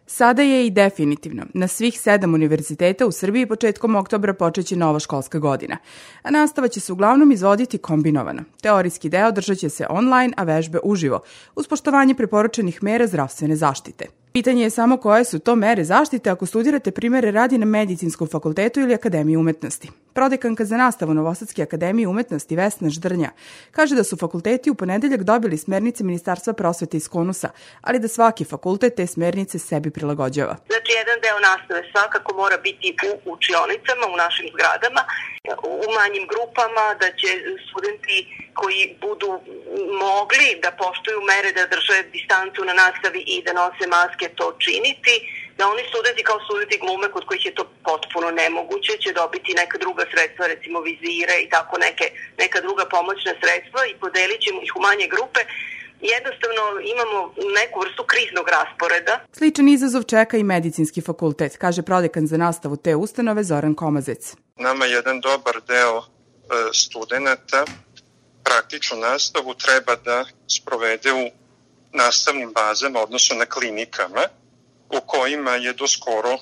Sada je i definitivno. Na svih 7 univerziteta u Srbiji početkom oktobra počeće nova školska godina. A nastava će se uglavnom izvoditi kombinovano. Teorijski deo držat će se online, a vežbe uživo, uz poštovanje preporučenih mera zdravstvene zaštite. Pitanje je samo koje su to mere zaštite ako studirate primere radi na Medicinskom fakultetu ili Akademiji umetnosti. Prodekanka za nastavu Novosadske akademije umetnosti Vesna Ždrnja kaže da su fakulteti u ponedeljak dobili smernice Ministarstva prosvete iz KONUS-a, ali da svaki fakultet te smernice sebi prilagođava. Znači, jedan deo nastave svakako mora biti u učionicama, u našim zgradama, u manjim grupama, da će studenti koji budu mogli da poštuju mere, da drže distancu na nastavi i da nose maske, to činiti, da oni studenti kao studenti glume kod kojih je to potpuno nemoguće će dobiti neka druga sredstva, recimo vizire i tako neka druga pomoćna sredstva i podelit ćemo ih u manje grupe. Jednostavno imamo neku vrstu kriznog rasporeda. Sličan izazov čeka i Medicinski fakultet, kaže prodekan za nastavu te ustanove Zoran Komazec. Nama jedan dobar deo studenta praktičnu nastavu treba da sprovede u nastavnim bazama, odnosno na klinikama, u kojima je doskoro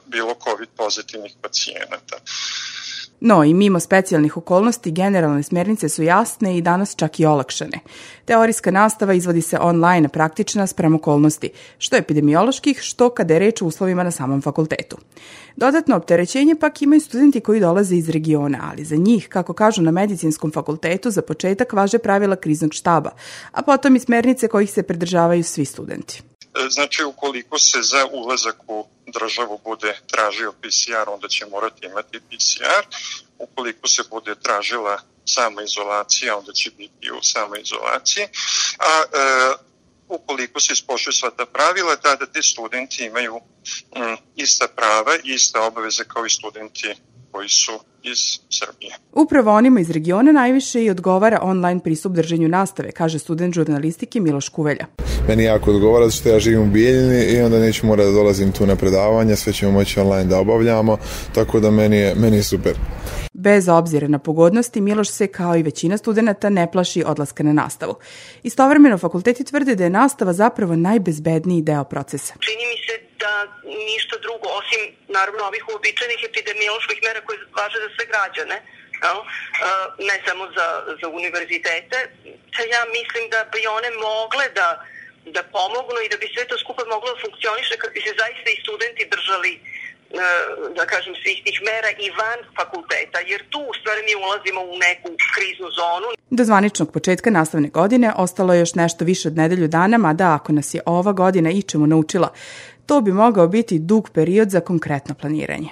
bilo COVID pozitivnih pacijenata. No, i mimo specijalnih okolnosti, generalne smernice su jasne i danas čak i olakšane. Teorijska nastava izvodi se online, a praktična spram okolnosti, što epidemioloških, što kada je reč o uslovima na samom fakultetu. Dodatno opterećenje pak imaju studenti koji dolaze iz regiona, ali za njih, kako kažu na Medicinskom fakultetu, za početak važe pravila kriznog štaba, a potom i smernice kojih se pridržavaju svi studenti. Znači, ukoliko se za ulazak u državu bude tražio PCR, onda će morati imati PCR. Ukoliko se bude tražila samoizolacija, onda će biti u samoizolaciji. A ukoliko se ispoštuju sva ta pravila, tada ti studenti imaju ista prava i ista obaveze kao i studenti koji su iz Srbije. Upravo onima iz regiona najviše i odgovara online pristup držanju nastave, kaže student žurnalistike Miloš Kuvelja. Meni jako odgovara što ja živim u Bijeljini i onda neću morati da dolazim tu na predavanja, sve ćemo moći online da obavljamo, tako da meni je super. Bez obzira na pogodnosti, Miloš se, kao i većina studenata, ne plaši odlaska na nastavu. Istovremeno, fakulteti tvrde da je nastava zapravo najbezbedniji deo procesa. Čini mi se da ništa drugo, osim naravno ovih uobičajenih epidemioloških mera koje važe za sve građane, ne samo za univerzitete, ja mislim da bi one mogle da pomognu i da bi sve to skupa moglo da funkcioniše kad bi se zaista i studenti držali, da kažem, svih tih mera i van fakulteta, jer tu u stvari mi ulazimo u neku kriznu zonu. Do zvaničnog početka nastavne godine ostalo je još nešto više od nedelju dana, mada ako nas je ova godina ičemu naučila, to bi mogao biti dug period za konkretno planiranje.